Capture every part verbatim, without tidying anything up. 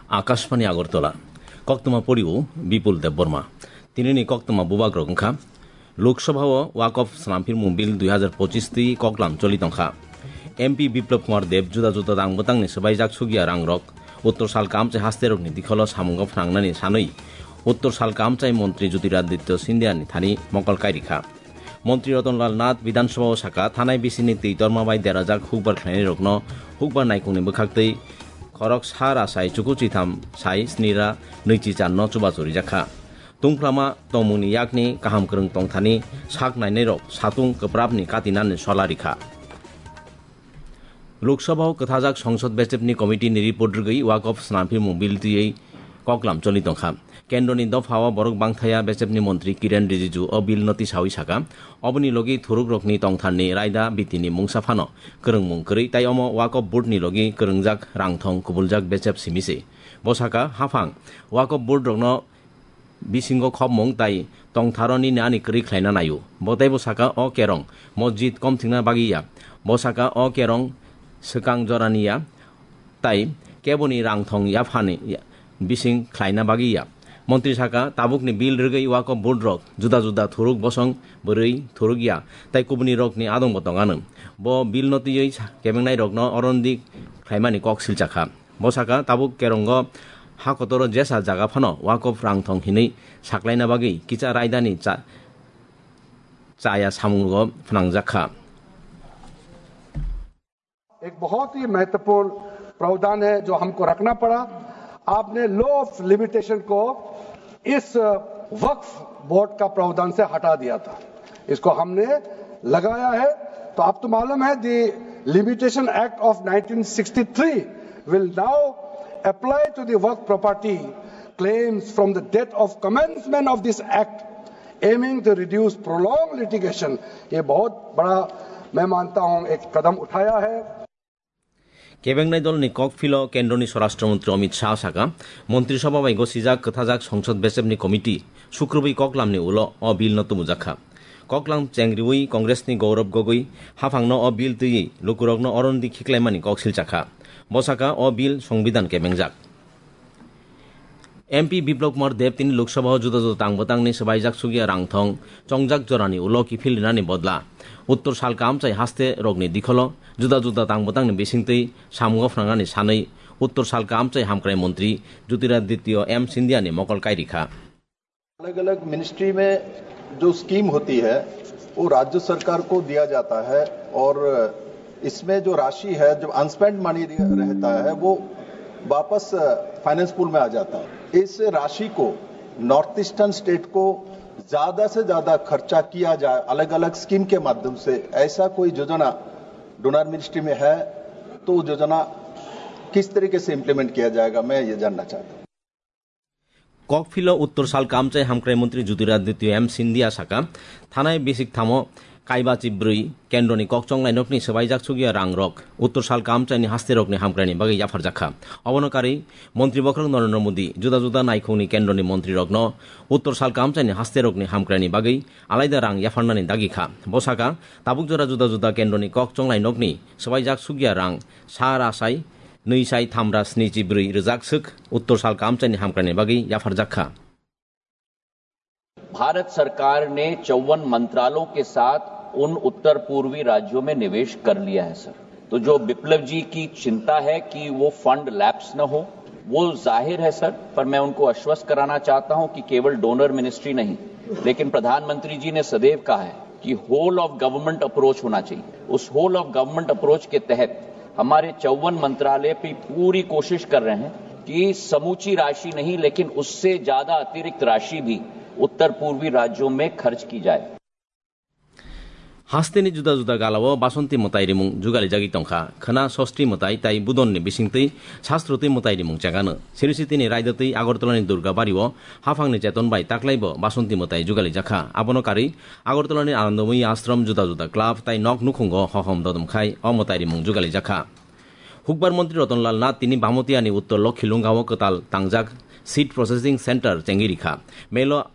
Akashbani Agartala. Koktwma poriwo Bipul Debbarma. Tinini koktwma bubagrok wngkha: Lok Sabha o Waqf Snamphirmung Bill dui hazar pochis twi koklam choli tongkha. M P Biplab Kumar Deb juda juda dang bwtangni swbaijak sugya rangrok Uttor Salka amchai hasterokni dikholo samungo phnangnani sanwi Uttor Salka amchai montri Jyotiraditya Scindia ni thani mokol kairikha. Montri Ratan Lal Nath Bidhan Sabha o saka, thanai bisini twi torma bai derajak hukbar khlainairokno hukbar naikhungni bwkhaktwi khorok sa rasai chuku chitham sai sni ra nwichi char no chubachu rijakha. Tungphrama tongmungni yakni kaham kwrwng tongthani sak nainairok satung kwprapni katinani sola rikha. Lok Sabha o kwthajak Songsod Bechepni Committee ni report rwgwi Waqf Snamphirmung Bill twiwi koklam choli tongkha. Kendroni dopha o borok bangthaya Bechepni Montri Kiren Rijiju o bill no tisawi saka, oboni logi thurukrokni tongtharni raida bitini mungsa phano kwrwngmung kwrwi, tai omo Waqf Board ni logi kwrwngjak rangthong kubuljak Bechep simi se. Bo saka, haphang Waqf Board rokno bisingo khopmung tai tongtharo nini ani kwrwi khlaina naio. Bo teibo saka, o kerong mosjid komthikna bagwi ya. Bo saka, o kerong swkang jorani ya, tai keboni rangthong yaphani ya, bising khlaina bagwi ya. Montri saka, tabukni bill rwgwi Waqf Board rok juda juda thuruk bosong bwrwi thuruk ya, tai kubuni rokni adong bo tongano. Bo bill no twiwi sa-, kebengnai rokno orondi khlaimani kok silchakha. Bo saka, tabuk kerongo ha kotoro jesa jaga phano Waqf rangthong hinwi saklaina bagwi kicha raidani cha-, chaya samungo phnangjakha. एक बहुत ही महत्वपूर्ण प्रावधान है जो हमको रखना पड़ा। आपने लॉ ऑफ लिमिटेशन को इस वक्फ बोर्ड का प्रावधान से हटा दिया था, इसको हमने लगाया है। तो आप तो मालूम है, the Limitation Act of nineteen sixty-three will now apply to the Waqf property claims from the date of commencement of this act, aiming to reduce prolonged litigation. ये बहुत बड़ा, मैं मानता हूं, एक कदम उठाया है। Kebengnai dolni kokphilo Kendroni Swarashtra Montri Amit Shah saka, Montri Sabha bai gosijak kwthajak Songsod Bechepni Committee sukrubwi koklamni ulo o bill no tumujakha. Koklam chengriwi Congressni Gaurav Gogoi haphangno o bill twiwi lukurokno orondi khiklaimani kok silchakha. Bo saka, o bill Songbidan kebengjak. M P Biplab Kumar Deb tini Lok Sabha o juda juda tang bwtangni swbaijak sugya rangthong chongjak jorani ulo kiphil rinani bodla Uttor Salka amchai haste rokni dikholo juda juda tang bwtangni bisingtwi samungo phnangnani sanwi Uttor Salka amchai hamkrai montri Jyotiraditya M Scindia ni mokol kairikha. अलग अलग मिनिस्ट्री में जो स्कीम होती है, वो राज्य सरकार को दिया जाता है और इसमें जो राशि है, जो अनस्पेंड मनी रहता है, वो वापस फाइनेंस पूल में आ जाता है। इस राशि को नॉर्थ ईस्टर्न स्टेट को ज्यादा से ज्यादा खर्चा किया जाए अलग अलग स्कीम के माध्यम से, ऐसा कोई योजना डोनर मिनिस्ट्री में है तो योजना किस तरीके से इम्प्लीमेंट किया जाएगा, मैं ये जानना चाहता हूँ। Kokphilo Uttor Salka amchai hamkrai montri Jyotiraditya M Scindia saka, thanai bisik thamo kaiba chibrwi kendroni kokchonglai nokni swbaijak sugya rangrok Uttor Salka amchaini hasterokni hamkraini bagwi yapharjakha. Obono karwi montri bokhorok Narendra Modi juda juda naikhungni kendroni montrirokno Uttor Salka amchaini hasterokni hamkraini bagwi alaida rang yapharnani dagikha. Bo saka, tabuk jora juda juda kendroni kokchonglai nokni swbaijak sugya rang sa rasai nwi sai tham ra sni chi brwi rwjak swk Uttor Salka amchaini hamkraini bagwi yapharjak kha. Bharat सरकार ने चौवन मंत्रालयों के साथ उन उत्तर पूर्वी राज्यों में निवेश कर लिया है, सर। तो जो विप्लव जी की चिंता है कि वो फंड लैप्स न हो, वो जाहिर है, सर, पर मैं उनको आश्वस्त कराना चाहता हूं कि केवल डोनर मिनिस्ट्री नहीं, लेकिन प्रधानमंत्री जी ने सदैव कहा है कि होल ऑफ गवर्नमेंट अप्रोच होना चाहिए। उस होल ऑफ गवर्नमेंट अप्रोच के तहत हमारे चौवन मंत्रालय भी पूरी कोशिश कर रहे हैं कि समूची राशि नहीं, लेकिन उससे ज्यादा अतिरिक्त राशि भी उत्तर पूर्वी राज्यों में खर्च की जाए। Hasteni juda juda galao Basonti mwtai rimung jugalijagwi tongkha. Khwna Sosti mwtai tai Budonni bisingtwi Sasroti mwtai rimung chegano. Sirisitini Raidotwi Agartalani Durga Bario haphangni cheton bai taklaibo Basonti mwtai jugalijakha. Abono karwi Agartalani Anandamoi Ashram juda juda club tai nok nukhungo hohom dodom khai o mwtai rimung jugalijakha. Hukbar montri Ratan Lal Nath tini Bhamotiani Uttor Lokhilungao kwtal tangjak seed processing center chengwi rikha. Melo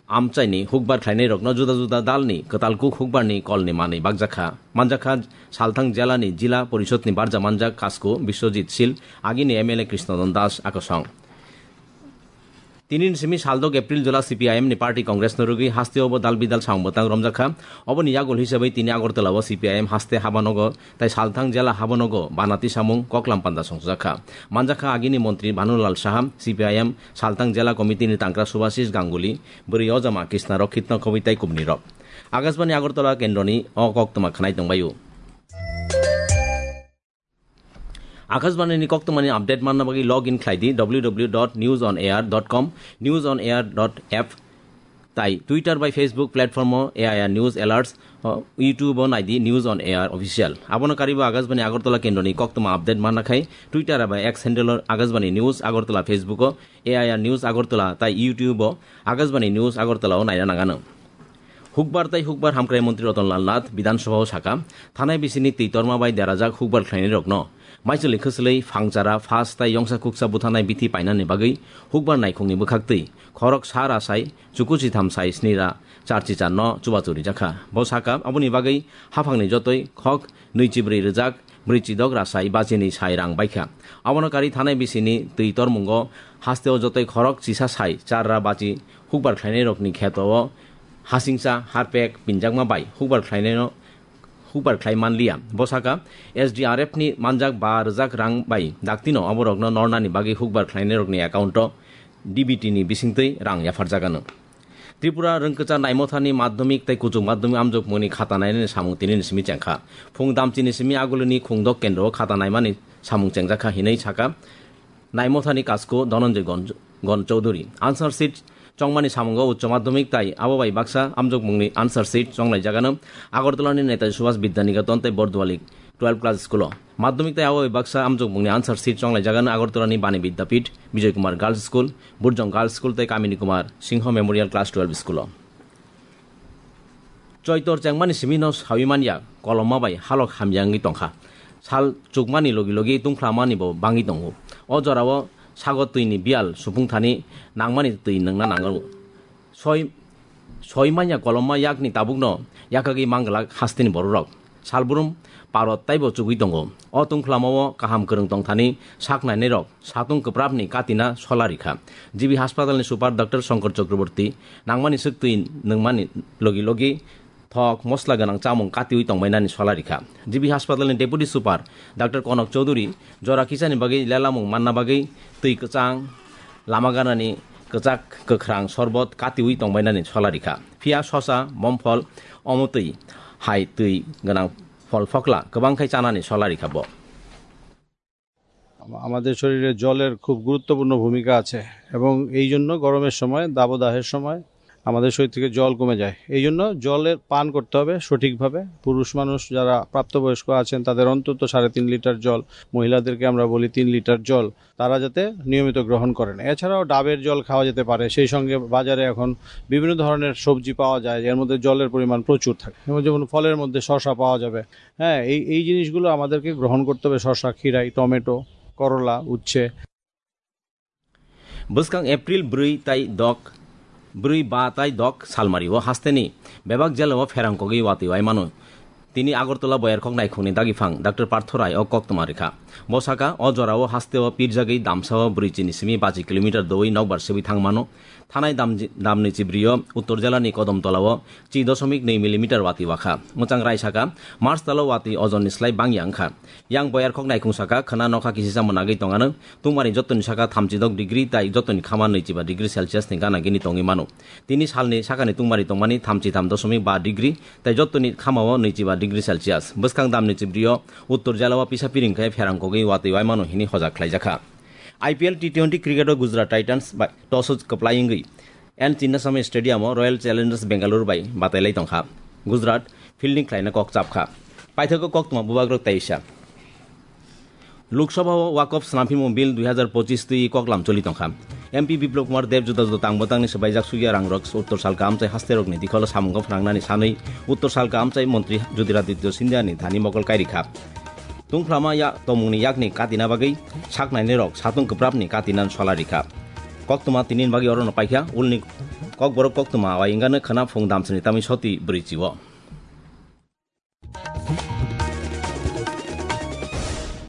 Amchaini hukbar khlainairokno juda juda dalni kwtal kuk hukbarni kolni manwi bakjakha. Manjakha, Salthang jelani Jila Porishodni barja manjak Kasku Biswajit Sil, agini M L A Krishnadon Das akosong. Tinini simi saldok April jora C P I M ni party Congress no rwgwi hasteo bo dal bidal samung bwtang romjakha. Oboni yagul hisabwi tini Agartala o C P I M haste habanogo tai Salthang jela habanogo banati samung koklam panda songjakha. Manjakha agini montri Bhanulal Saha, C P I M Salthang jela committee ni tangkra Subhasis Ganguly, bwrwi ojama Krishna Rokitno khobwi tai kubni rok. Akashbani Agartala kendroni o koktwma khwnai tongbaio. Akashbani ni koktwmani update manna bagwi log in khlai di W W W dot news on air dot com, news on air dot app, tai Twitter bai Facebook platform o A I R News Alerts, o YouTube o nai di News on Air Official. Abono karibo Akashbani Agartala kendroni koktwma update manna khai Twitter bai X handle o Akashbani News Agartala, Facebook o A I R News Agartala tai YouTube o Akashbani News Agartala o naina nangano. Hukbar tai hukbar hamkrai montri Ratan Lal Nath Bidhan Sabha o saka, thanai bisini twi torma bai derajak hukbar khlainairokno maichwlwi khwchwlwi phangchara, phas tai yongsa kuksa buthanai bithi painani bagwi hukbar naikhungni bwkhaktwi khorok sa ra sai chuku chitham sai sni ra charchi charno chubachu rijakha. Bo saka, aboni bagwi haphangni jotoi khok nwichibrwi rwjak brwichidok ra sai bachini sai rang baikha. Abono kari thanai bisini twi tormungo hasteo jotoi khorok chisa sai char ra bachi hukbar khlainairokni kheto o hasingcha harpek pinjakma bai hukbar khlainaino hukbar khlai manliya. Bo saka, S D R F ni manjak ba rwjak rang bai daktino aborokno nornani bagwi hukbar khlainairokni account o D B T ni bisingtwi rang yapharjagano. Tripura Rwngkwchar Naimothani madhyamik tei kuchuk madhyamik amjokmungni khata nainani samung tinini simi chengkha. Phung damchini simi agulini khungdok kendro o khata naimani samung chengjakha hinwi saka Naimothani Kasku Dhananjay Gon-, Gon Chowdhury. Answer sheet chongmani samungo Uccho Madhyamik tai abo bai baksa amjokmungni answer sheet chonglaijagano Agartalani Netaji Subhas Vidya Niketan tei Borduali twelve class school o. Madhyamik tai abo bai baksa amjokmungni answer sheet chonglaijagano Agartalani Bani Vidyapith, Bijoy Kumar Girls School, Burjong Girls School tei Kamini Kumar Singho Memorial Class twelve School o. Choitor chengmani simi no sawi manya, kolomma bai halok hamya wngwi tongkha. Sal chukmani logi logi tungphlamani bo bangwi tongo. O jorao sago twini biyal supung thani nangmani twi nwngna nango. Soi, soi manya kolomma yakni tabukno yakagwi manglak hasteni bororok. Salbrum parot taibo chugwi tongo. O tungphlamao kaham kwrwng tongthani sak nainairok satung kwprapni katina sola rikha. G B hospitalni super Doctor Shankar Chakraborty nangmani swk twi nwngmani logi logi thok mosla gwnang chamung katiwi tongbainani sola rikha. G B hospitalni deputy super Doctor Konak Chowdhury jora kisani bagwi lelamung manna bagwi twi kwchang lama ganani kwchak kwkhrang sorbot katiwi tongbainani sola rikha. Phiya sosa, momphol, omotwi hai twi gwnang phol phokla kwbang khai chanani sola rikha bo. আম-, আমাদের শরীরে জলের খুব গুরুত্বপূর্ণ ভূমিকা আছে এবং এই জন্য গরমের সময়, দাবদাহের সময় আমাদের শরীর থেকে জল কমে যায়। এই জন্য জলের পান করতে হবে সঠিকভাবে। পুরুষ মানুষ যারা প্রাপ্তবয়স্ক আছেন তাদের অন্তত সাড়ে তিন লিটার জল, মহিলাদেরকে আমরা বলি তিন লিটার জল, তারা যাতে নিয়মিত গ্রহণ করেন। এছাড়াও ডাবের জল খাওয়া যেতে পারে। সেই সঙ্গে বাজারে এখন বিভিন্ন ধরনের সবজি পাওয়া যায়, এর মধ্যে জলের পরিমাণ প্রচুর থাকে। এবং যেমন ফলের মধ্যে শসা পাওয়া যাবে। হ্যাঁ, এই, এই জিনিসগুলো আমাদেরকে গ্রহণ করতে হবে। শসা, খিরাই, টমেটো, করলা, উচ্ছে। Bwskang April bwrwi tai dok, bwrwi ba tai dok salmari o hasteni bebak jela o pherang kogwi watwi wai mano. Tini Agartala Boyarkhok naikhungni dagiphang Doctor Partho Rai o koktwma rikha. Bo saka, o jorao hasteo pirjagwi damsao brwi chini simi bachi kilometer doui nokbar sewi thangmano. Thanai dam-, damni chibrio Uttor jelani Kodom tolao chi dosomik nwi millimeter watwi wakha. Mwchang Rai saka, March talo watwi ojonni slai bangya wngkha. Yang Boyarkhok naikhung saka, khwna nokha kisi chamung nagwi tongano. Tungmani jottoni saka thamchi dok degree tai jottoni khama nwichiba degree Celsius ni gana gini tongwi mano. Tini salni sakani tungmari tongmani thamchi tham dosomik ba degree tai jottoni khamao nwichiba degree Celsius. Bwskang damni chibrio Uttor jelao pisa piring khai pherang kogwi watwi waimano hini hojak khlaijakha. I P L T twenty cricket o Gujarat Titans bai toss o kwplai wngwi N Chinnaswamy Stadium o Royal Challengers Bengaluru bai batailai tongkha. Gujarat fielding khlaina kok chapkha. Paithago koktwma bubagrok teisa. Lok Sabha o Wakf Snamphimo Bill dui hazar pochis twi koklam choli tongkha. M P Biplab Kumar Deb juda juda tang bwtangni swbaijak sugya rangrok Uttor Salka amchai hasterokni dikholo samungo phwnangnani sanwi Uttor Salka amchai montri Jyotiraditya Scindiani thani mokol kairikha. Tungphlama ya tomungni yakni katina bagwi saknainirok satung kwprapni katina sola rikha. Koktwma tini bagwi oro no paikha, ulni kokborok koktwma wai wngkha no khwna phung damsini tamni soti bwrwi chiwo.